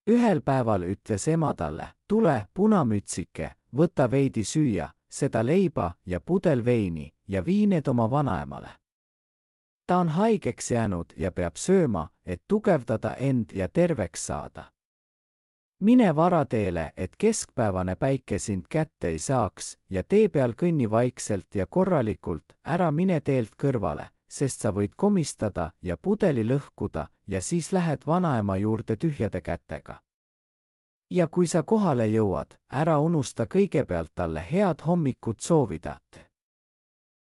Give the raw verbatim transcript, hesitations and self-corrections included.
Ühel päeval ütles ema talle, tule, punamütsike, võta veidi süüa, seda leiba ja pudel veini ja vii need oma vanaemale. Ta on haigeks jäänud ja peab sööma, et tugevdada end ja terveks saada. Mine varateele, et keskpäevane päike sind kätte ei saaks ja tee peal kõnni vaikselt ja korralikult, ära mine teelt kõrvale, sest sa võid komistada ja pudeli lõhkuda ja siis lähed vanaema juurde tühjade kätega. Ja kui sa kohale jõuad, ära unusta kõigepealt talle head hommikut soovida.